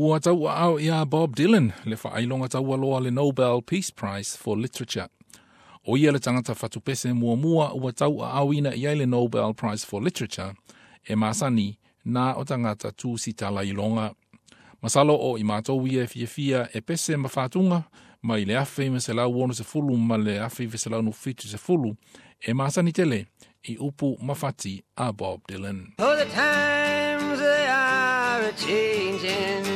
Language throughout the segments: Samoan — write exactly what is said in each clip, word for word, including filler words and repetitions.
Ua tauaao ia Bob Dylan le faailoga taualoa le Nobel Peace Prize for Literature. O ia le tagata fatupese muamua ua tauaaoina i ai le Nobel Prize for Literature e masani na o tagata tusitala iloga. Masalo o i matou ia e fiafia e pese ma fatuga mai le afe ma selau ono sefulu ma le afe iva selau fitu sefulu e masani tele i upu ma fati a Bob Dylan. Oh, the times they are a-changing.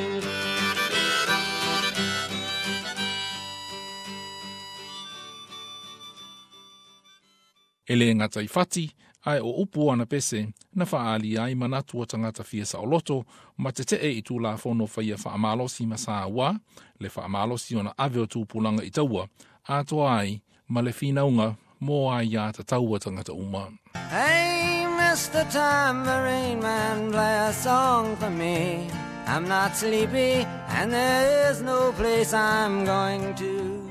E le gata i fati, ae o upu ana pese, na faali ai manatu o tagata fia saoloto ma tetee i tulafono faia faamalosi ma sa ua, le faamalosi ona ave o tupulaga i taua, atoa ai ma le finauga mo ai tatau a tagata uma. Hey, Mister Tambourine Man, play a song for me. I'm not sleepy and there is no place I'm going to.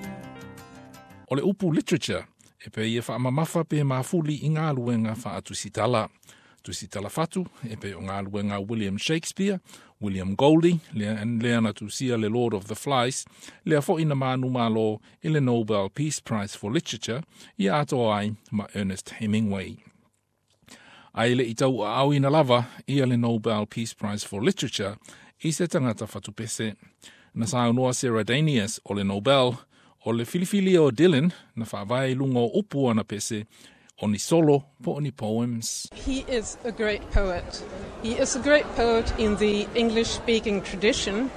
O le upu literature, e pe ia whaamamafa pe mafuli i ngā luenga whaatusitala. Tusitala fatu, e pe o ngā luenga William Shakespeare, William Golding, lea, lea na tusia le Lord of the Flies, lea fo ina manu malo i le Nobel Peace Prize for Literature, i atoa ai ma Ernest Hemingway. Ai le i tauaaoina lava ia le Nobel Peace Prize for Literature i se tagata fatupese. Na saunoa Sarah Danius o le Nobel, o le filifili o Dylan na faavae i luga o upu ana pese o ni solo po o ni poems. He is a great poet. He is a great poet in the English-speaking tradition,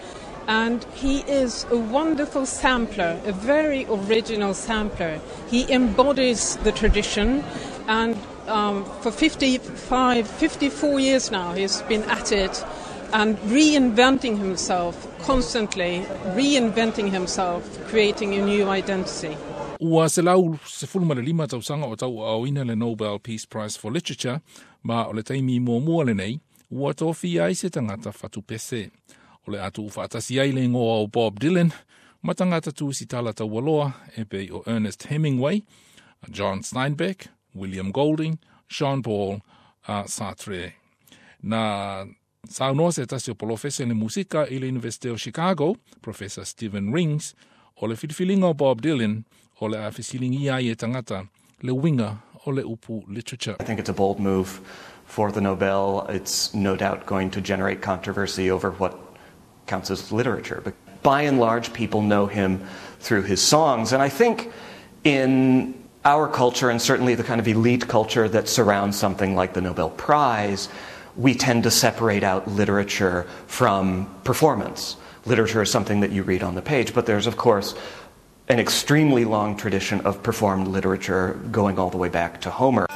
and he is a wonderful sampler, a very original sampler. He embodies the tradition, and, um, for fifty-five, fifty-four years now he's been at it and reinventing himself constantly, reinventing himself, creating a new identity. Ua selau sefulu ma le lima tausaga o tauaaoina le Nobel Peace Prize for Literature, ma o le taimi muamua lenei, ua tofia ai se tagata fatupese. O le atu faatasi ai le igoa o Bob Dylan, ma tagata tusitala taualoa e pei o Ernest Hemingway, John Steinbeck, William Golding, Jean Paul uh, Sartre. Na saunoa se tasi o polofese le musika i le University o Chicago, Professor Stephen Rings, o le filifiliga o Bob Dylan, o le a fesiligia ai e tagata le uiga o le upu literature. I think it's a bold move for the Nobel. It's no doubt going to generate controversy over what counts as literature. But by and large, people know him through his songs. And I think in our culture, and certainly the kind of elite culture that surrounds something like the Nobel Prize, we tend to separate out literature from performance. Literature is something that you read on the page, but there's, of course, an extremely long tradition of performed literature going all the way back to Homer.